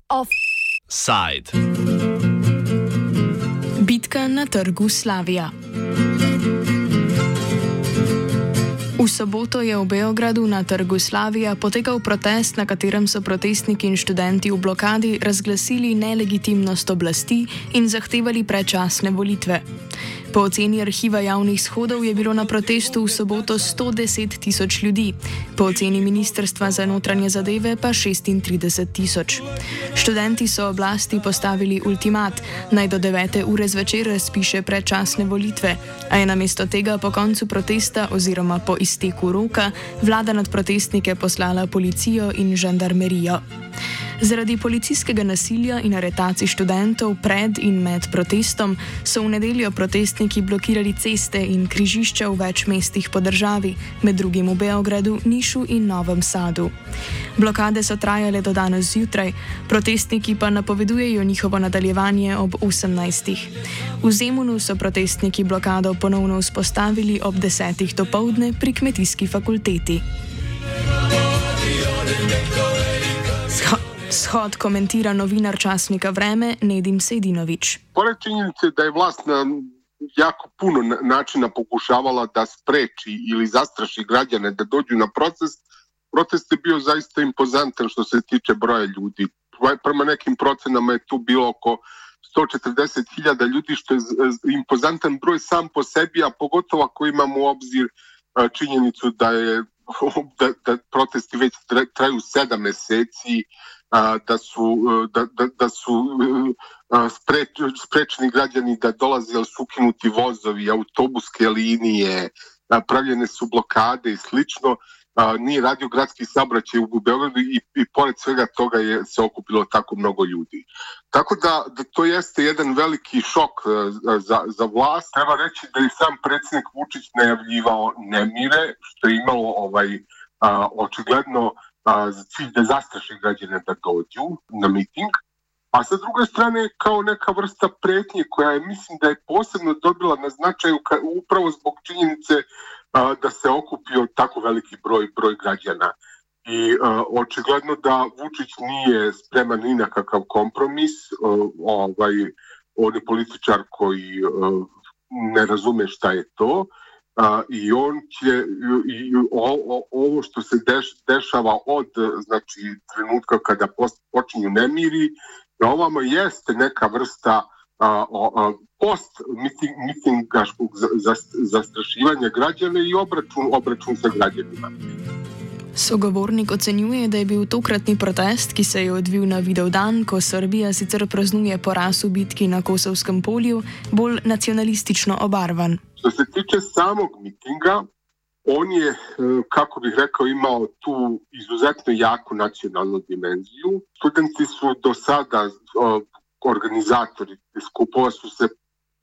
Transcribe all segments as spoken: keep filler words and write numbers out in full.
Offside. Bitka na trgu Slavija. V soboto je v Beogradu na trgu Slavija potekal protest, na katerem so protestniki in študenti v blokadi razglasili nelegitimnost oblasti in zahtevali predčasne volitve. Po oceni arhiva javnih shodov je bilo na protestu v soboto sto deset tisoč ljudi, po oceni Ministrstva za notranje zadeve pa šestintrideset tisoč. Študenti so oblasti postavili ultimat, naj do devete ure zvečer razpiše predčasne volitve, a je namesto tega po koncu protesta oziroma po izteku roka vlada nad protestnike poslala policijo in žandarmerijo. Zaradi policijskega nasilja in aretacij študentov pred in med protestom so v nedeljo protestniki blokirali ceste in križišča v več mestih po državi, med drugim v Beogradu, Nišu in Novem Sadu. Blokade so trajale do danes zjutraj, protestniki pa napovedujejo njihovo nadaljevanje ob osemnajstih. V Zemunu so protestniki blokado ponovno vzpostavili ob desetih dopoldne pri Kmetijski fakulteti. Shod komentira novinar časnika Vreme Nedim Sejdinović. Pored činjenice da je vlast na jako puno načina pokušavala da spreči ili zastraši građane da dođu na protest, protest je bio zaista impozantan što se tiče broja ljudi. Prema nekim procenama je tu bilo oko sto četrdeset hiljada ljudi, što je impozantan broj sam po sebi, a pogotovo ako imamo u obzir činjenicu da je da, da protesti već traju sedam meseci, da su, da, da, da su spreč, sprečeni građani da dolaze, ali su ukinuti vozovi, autobuske linije, pravljene su blokade i slično. Nije radio gradski saobraćaj u Beogradu i, i pored svega toga je se okupilo tako mnogo ljudi. Tako da, da to jeste jedan veliki šok za, za vlast. Treba reći da je sam predsjednik Vučić najavljivao nemire, što je imalo ovaj, a, očigledno a, za cilj da zastraši građane da dođu na miting. A sa druge strane kao neka vrsta pretnje koja je, mislim da je posebno dobila na značaju ka, upravo zbog činjenice a, da se okupio tako veliki broj, broj građana. I a, očigledno da Vučić nije spreman ni na kakav kompromis. A, ovaj, on je političar koji a, ne razume šta je to. A, i on će i o, o, ovo što se deš, dešava od znači trenutka kada post, počinju nemiri da ovamo jeste neka vrsta a, a, post miting, mitingaškog zastrašivanja građana i obračun, obračun sa građanima. Sogovornik ocenjuje, da je bil tokratni protest, ki se je odvil na Vidovdan, ko Srbija sicer praznuje poraz v bitki na Kosovskem polju, bolj nacionalistično obarvan. Što se tiče samog mitinga, on je, kako bih rekao, imao tu izuzetno jaku nacionalnu dimenziju. Studenti su do sada, organizatori skupova su se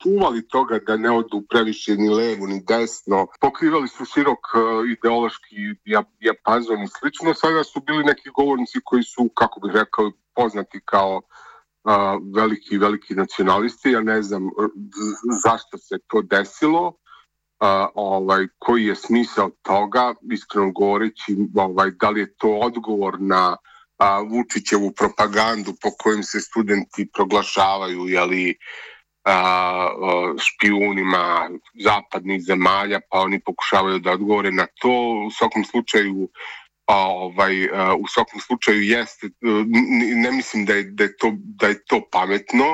čuvali toga da ne odu previše ni levo ni desno. Pokrivali su širok ideološki dijapazon i slično. Sada su bili neki govornici koji su, kako bih rekao, poznati kao a, veliki, veliki nacionalisti. Ja ne znam zašto se to desilo, a, ovaj, koji je smisao toga, iskreno govoreći, ovaj, da li je to odgovor na a, Vučićevu propagandu po kojim se studenti proglašavaju, jeli, A, špijunima zapadnih zemalja, pa oni pokušavaju da odgovore na to. U svakom slučaju a, ovaj, a, u svakom slučaju jeste, ne mislim da je, da je, to, da je to pametno,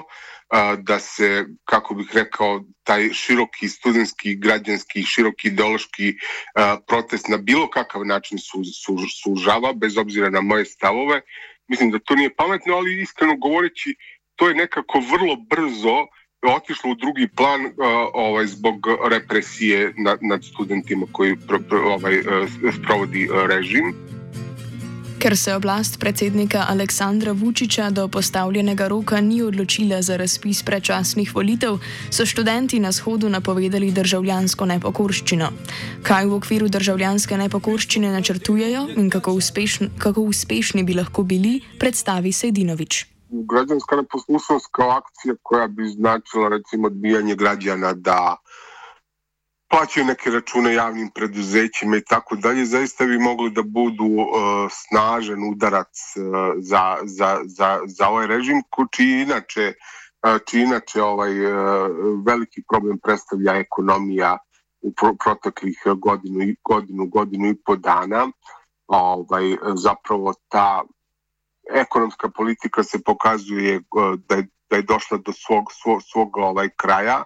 a, da se, kako bih rekao, taj široki studentski, građanski, široki ideološki a, protest na bilo kakav način su, su, sužava, bez obzira na moje stavove. Mislim da to nije pametno, ali iskreno govoreći, to je nekako vrlo brzo otišlo u drugi plan uh, ovaj, zbog represije nad, nad studentima koji pro, pro, ovaj, uh, sprovodi uh, režim. Ker se oblast predsednika Aleksandra Vučića do postavljenega roka ni odločila za razpis predčasnih volitev, so študenti na shodu napovedali državljansko nepokorščino. Kaj v okviru državljanske nepokorščine načrtujejo in kako uspešni, kako uspešni bi lahko bili, predstavi Sejdinović. Građanska neposlušnost kao akcija koja bi značila recimo odbijanje građana da plaćaju neke račune javnim preduzećima i tako dalje, zaista bi mogli da budu uh, snažan udarac uh, za, za, za, za ovaj režim, čiji inače, uh, čiji inače ovaj, uh, veliki problem predstavlja ekonomija u pro- proteklih godinu, godinu, godinu i po dana. Ovaj, zapravo ta ekonomska politika se pokazuje uh, da, je, da je došla do svog, svog, svog ovaj, kraja.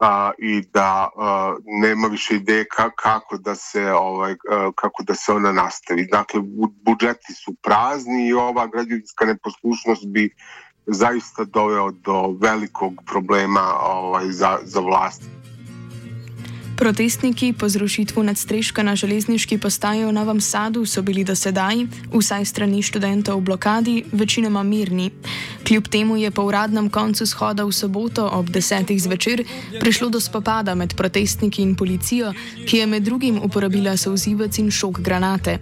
A, i da a, nema više ideje ka, kako da se ovaj a, kako da se ona nastavi. Dakle, bu, budžeti su prazni i ova građevinska neposlušnost bi zaista doveo do velikog problema ovaj, za, za vlast. Protestniki po zrušitvu nadstreška na železniški postaji v Novem Sadu so bili do sedaj, vsaj strani študentov v blokadi, večinoma mirni. Kljub temu je po uradnem koncu shoda v soboto ob desetih zvečer prišlo do spopada med protestniki in policijo, ki je med drugim uporabila solzivec in šok granate.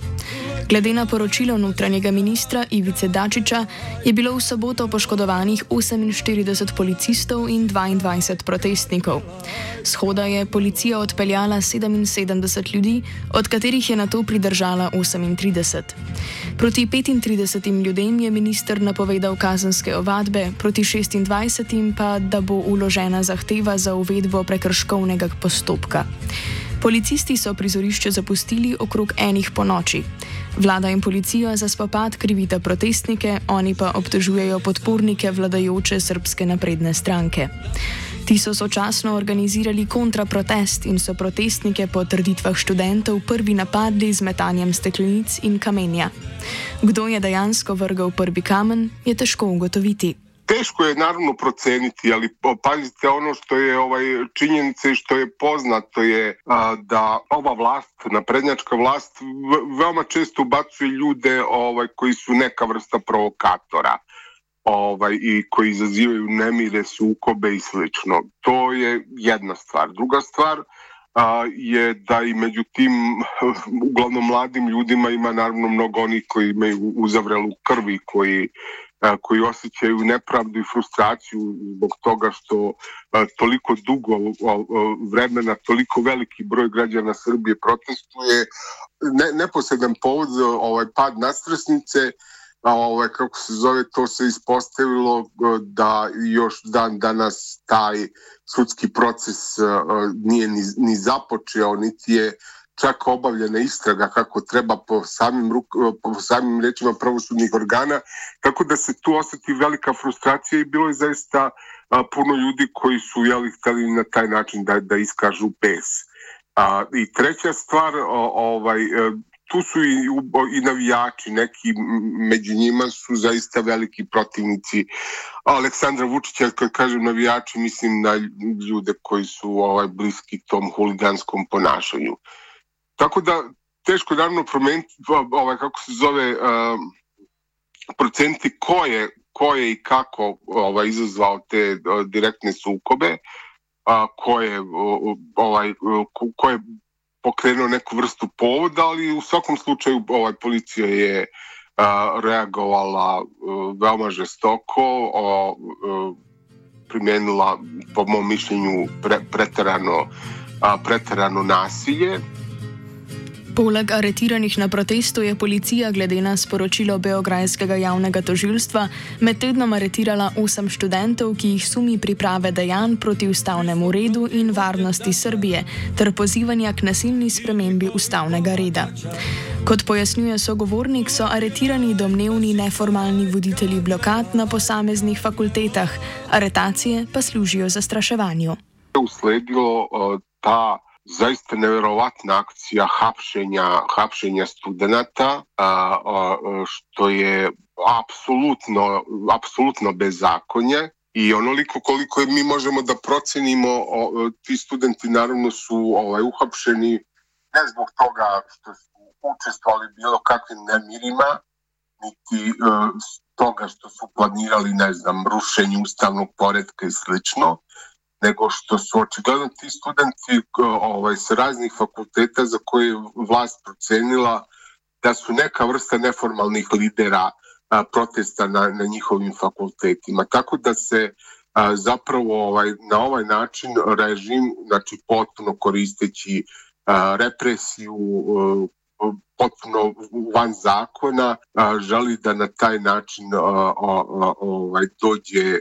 Glede na poročilo notranjega ministra Ivice Dačića je bilo v soboto poškodovanih oseminštirideset policistov in dvaindvajset protestnikov. Shoda je policija odpeljala sedeminsedemdeset ljudi, od katerih je nato pridržala osemintrideset. Proti petintridesetim ljudem je minister napovedal kazenske ovadbe, proti šestindvajsetim pa, da bo vložena zahteva za uvedbo prekrškovnega postopka. Policisti so prizorišče zapustili okrog enih po noči. Vlada in policija za spopad krivita protestnike, oni pa obtožujejo podpornike vladajoče Srbske napredne stranke. Ti so sočasno organizirali kontraprotest in so protestnike po trditvah študentov prvi napadli z metanjem steklenic in kamenja. Kdo je dejansko vrgel prvi kamen, je težko ugotoviti. Teško je naravno proceniti, ali pazite, ono što je ovaj činjenica i što je poznato je a, da ova vlast, naprednjačka vlast, v, veoma često ubacuje ljude ovaj, koji su neka vrsta provokatora ovaj, i koji izazivaju nemire, sukobe i slično. To je jedna stvar. Druga stvar a, je da i među tim uglavnom mladim ljudima ima naravno mnogo onih koji imaju uzavrelu krvi, koji koji osjećaju nepravdu i frustraciju zbog toga što a, toliko dugo a, a, vremena, toliko veliki broj građana Srbije protestuje. Ne, neposredan povod za ovaj pad nadstresnice, a, ovaj, kako se zove, to se ispostavilo a, da još dan danas taj sudski proces a, nije ni, ni započeo, niti je čak obavljena istraga kako treba po samim, po samim rečima pravosudnih organa, tako da se tu osjeti velika frustracija i bilo je zaista a, puno ljudi koji su jeli, hteli na taj način da, da iskažu bes. A, I treća stvar, o, ovaj, tu su i, i navijači, neki među njima su zaista veliki protivnici Aleksandra Vučića. Kad kažem navijači, mislim na ljude koji su ovaj, bliski tom huliganskom ponašanju. Tako da teško je naravno promeniti, ovaj, kako se zove, uh, procenti ko je, ko je i kako ovaj, izazvao te uh, direktne sukobe, uh, ko, je, uh, ovaj, uh, ko je pokrenuo neku vrstu povoda, ali u svakom slučaju ovaj, policija je uh, reagovala uh, veoma žestoko, uh, primijenila, po mom mišljenju, pre, preterano, uh, preterano nasilje. Poleg aretiranih na protestu je policija glede na sporočilo beograjskega javnega tožilstva med tednom aretirala osem študentov, ki jih sumi priprave dejanj proti ustavnemu redu in varnosti Srbije ter pozivanja k nasilni spremembi ustavnega reda. Kot pojasnjuje sogovornik, so aretirani domnevni neformalni voditelji blokad na posameznih fakultetah, aretacije pa služijo zastraševanju. Usledilo uh, ta zaista nevjerovatna akcija hapšenja, hapšenja studenata, a, a, što je apsolutno, apsolutno bezakonje i onoliko koliko mi možemo da procenimo, o, ti studenti naravno su ovaj, uhapšeni ne zbog toga što su učestvovali bilo kakvim nemirima, niti uh, toga što su planirali, ne znam, rušenje ustavnog poretka i slično, nego što su očigledno ti studenti ovaj, sa raznih fakulteta za koje je vlast procenila da su neka vrsta neformalnih lidera a, protesta na, na njihovim fakultetima. Tako da se zapravo ovaj, na ovaj način režim, znači potpuno koristeći represiju, potpuno van zakona, želi da na taj način ovaj, dođe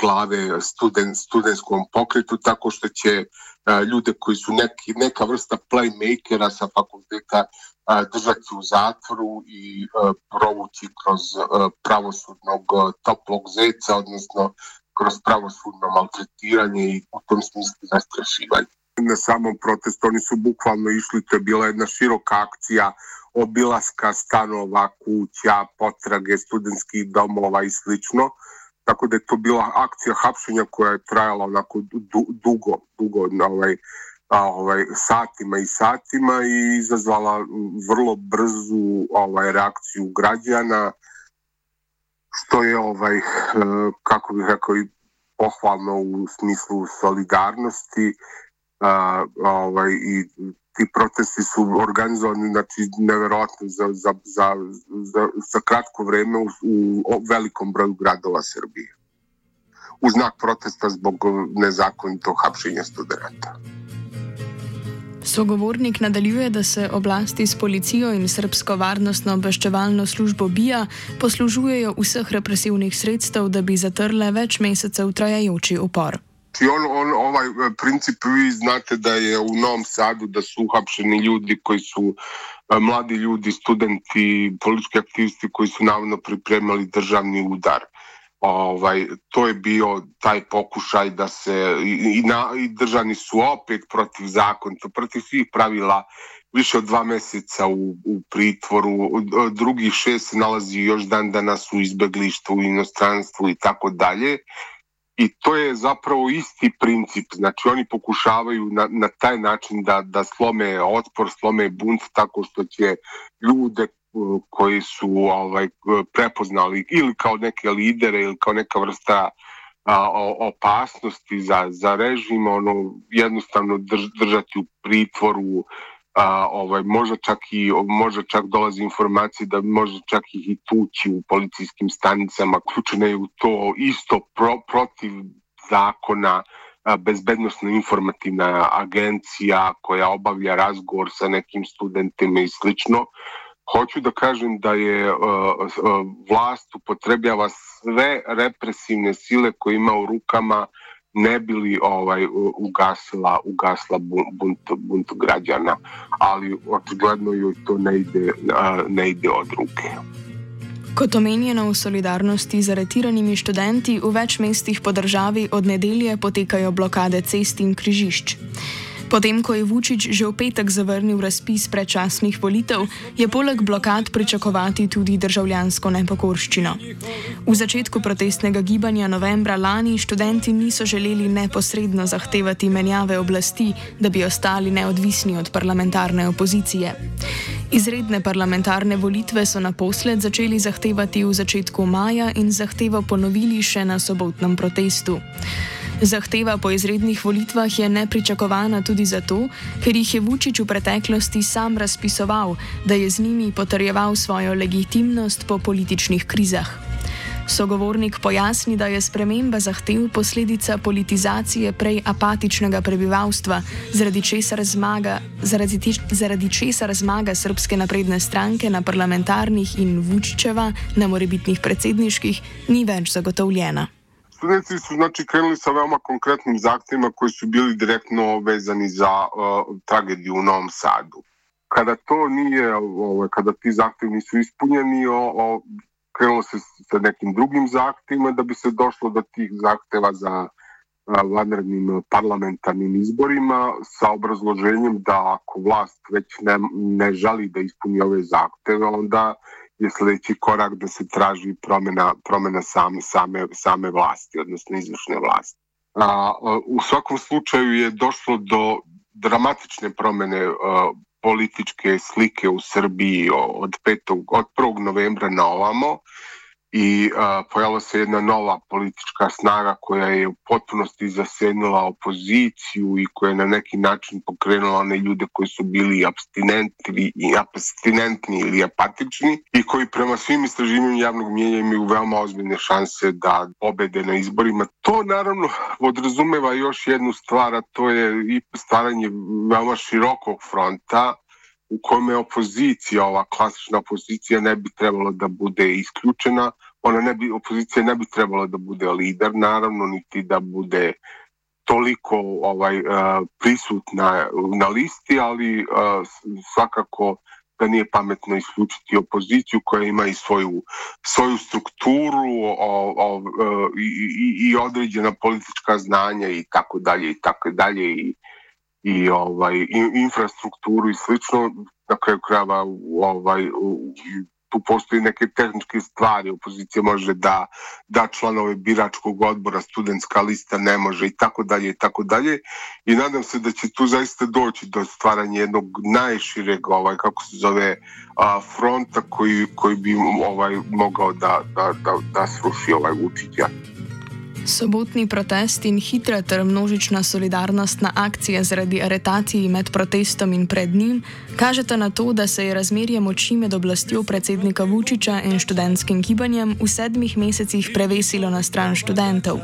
glave student, studentskom pokretu, tako što će ljude koji su neki, neka vrsta playmakera sa fakulteta držati u zatvoru i provući kroz pravosudnog toplog zeca, odnosno kroz pravosudno maltretiranje i u tom smislu zastrašivanje. Na samom protestu oni su bukvalno išli, to je bila jedna široka akcija obilaska stanova, kuća, potrage studentskih domova i slično. Tako da je to bila akcija hapšenja koja je trajala onako du, dugo, dugo ovaj, ovaj, satima i satima i izazvala vrlo brzu ovaj, reakciju građana, što je, ovaj, kako bih rekao, i pohvalno u smislu solidarnosti. A, ovaj, i ti protesti su organizovani, znači, neverovatno za, za, za, za, za kratko vreme u, u velikom broju gradova Srbije. U znak protesta zbog nezakonitog hapšenja studenata. Sogovornik nadaljuje, da se oblasti s policijo in srbsko varnostno obveščevalno službo B I A poslužujejo vseh represivnih sredstev, da bi zatrle več mesecev trajajoči upor. On, on, ovaj princip, vi znate da je u Novom Sadu da su uhapšeni ljudi koji su mladi ljudi, studenti, politički aktivisti koji su navodno pripremali državni udar. Ovaj, to je bio taj pokušaj da se, i, na, i držani su opet protiv zakona, protiv svih pravila, više od dva meseca u, u pritvoru, drugih šest se nalazi još dan danas u izbeglištvu, u inostranstvu i tako dalje. I to je zapravo isti princip, znači oni pokušavaju na, na taj način da, da slome otpor, slome bunt tako što će ljude koji su ovaj, prepoznali ili kao neke lidere ili kao neka vrsta a, opasnosti za, za režim, ono, jednostavno drž, držati u pritvoru, a, ovaj, možda čak i možda čak dolazi informacije da možda čak i tući u policijskim stanicama, ključne je u to isto pro, protiv zakona, a, bezbednosno informativna agencija koja obavlja razgovor sa nekim studentima i slično. Hoću da kažem da je uh, uh, vlast upotrebljava sve represivne sile koje ima u rukama ne bi li ovaj, ugasila, ugasila bunt, bunt građana, ali očigledno joj to ne ide, uh, ne ide od ruke. Kot omenjeno v solidarnosti z aretiranimi študenti v več mestih po državi od nedelje potekajo blokade cest in križišč. Potem, ko je Vučić že v petek zavrnil razpis predčasnih volitev, je poleg blokad pričakovati tudi državljansko nepokorščino. V začetku protestnega gibanja novembra lani študenti niso želeli neposredno zahtevati menjave oblasti, da bi ostali neodvisni od parlamentarne opozicije. Izredne parlamentarne volitve so naposled začeli zahtevati v začetku maja in zahtevo ponovili še na sobotnem protestu. Zahteva po izrednih volitvah je nepričakovana tudi zato, ker jih je Vučić v preteklosti sam razpisoval, da je z njimi potrjeval svojo legitimnost po političnih krizah. Sogovornik pojasni, da je sprememba zahtev posledica politizacije prej apatičnega prebivalstva, zaradi česar zmaga, zaradi, zaradi česar zmaga Srpske napredne stranke na parlamentarnih in Vučićeva na morebitnih predsedniških ni več zagotovljena. Studenti su znači krenuli sa veoma konkretnim zahtjevima koji su bili direktno vezani za uh, tragediju u Novom Sadu. Kada to nije, ovaj, kada ti zahtjevi nisu ispunjeni, o, o, krenulo se sa nekim drugim zahtjevima da bi se došlo do tih zahtjeva za uh, vanrednim parlamentarnim izborima sa obrazloženjem da ako vlast već ne, ne želi da ispuni ove zahtjeve, onda je sljedeći korak da se traži promjena, promjena same, same, same vlasti, odnosno izvršne vlasti. A, u svakom slučaju je došlo do dramatične promjene a, političke slike u Srbiji od, petog, od prvog novembra na ovamo i uh, pojavila se jedna nova politička snaga koja je u potpunosti zasenila opoziciju i koja je na neki način pokrenula one ljude koji su bili abstinentni, abstinentni ili apatični i koji prema svim istraživanjima javnog mnijenja imaju veoma ozbiljne šanse da pobede na izborima. To naravno podrazumeva još jednu stvar, a to je i stvaranje veoma širokog fronta u kome opozicija, ova klasična opozicija, ne bi trebalo da bude isključena. Ona ne bi, opozicija ne bi trebala da bude lider, naravno, niti da bude toliko ovaj, uh, prisutna na listi, ali uh, svakako da nije pametno isključiti opoziciju koja ima i svoju, svoju strukturu o, o, o, i, i, i određena politička znanja i tako dalje i tako dalje i i ovaj i, infrastrukturu i slično. Na kraju krajeva ovaj tu postoji neke tehničke stvari, opozicija može da da članove biračkog odbora, studentska lista ne može i tako dalje i tako dalje i nadam se da će tu zaista doći do stvaranja jednog najšireg ovaj kako se zove a, fronta koji koji bi ovaj mogao da da da, da sruši ovaj Vučića. Sobotni protest in hitra ter množična solidarnostna akcija zaradi aretacij med protestom in pred njim kažeta na to, da se je razmerje moči med oblastjo predsednika Vučića in študentskim gibanjem v sedmih mesecih prevesilo na stran študentov.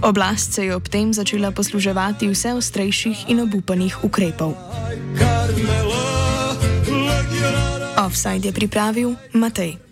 Oblast se je ob tem začela posluževati vse ostrejših in obupanih ukrepov. Offside je pripravil Matej.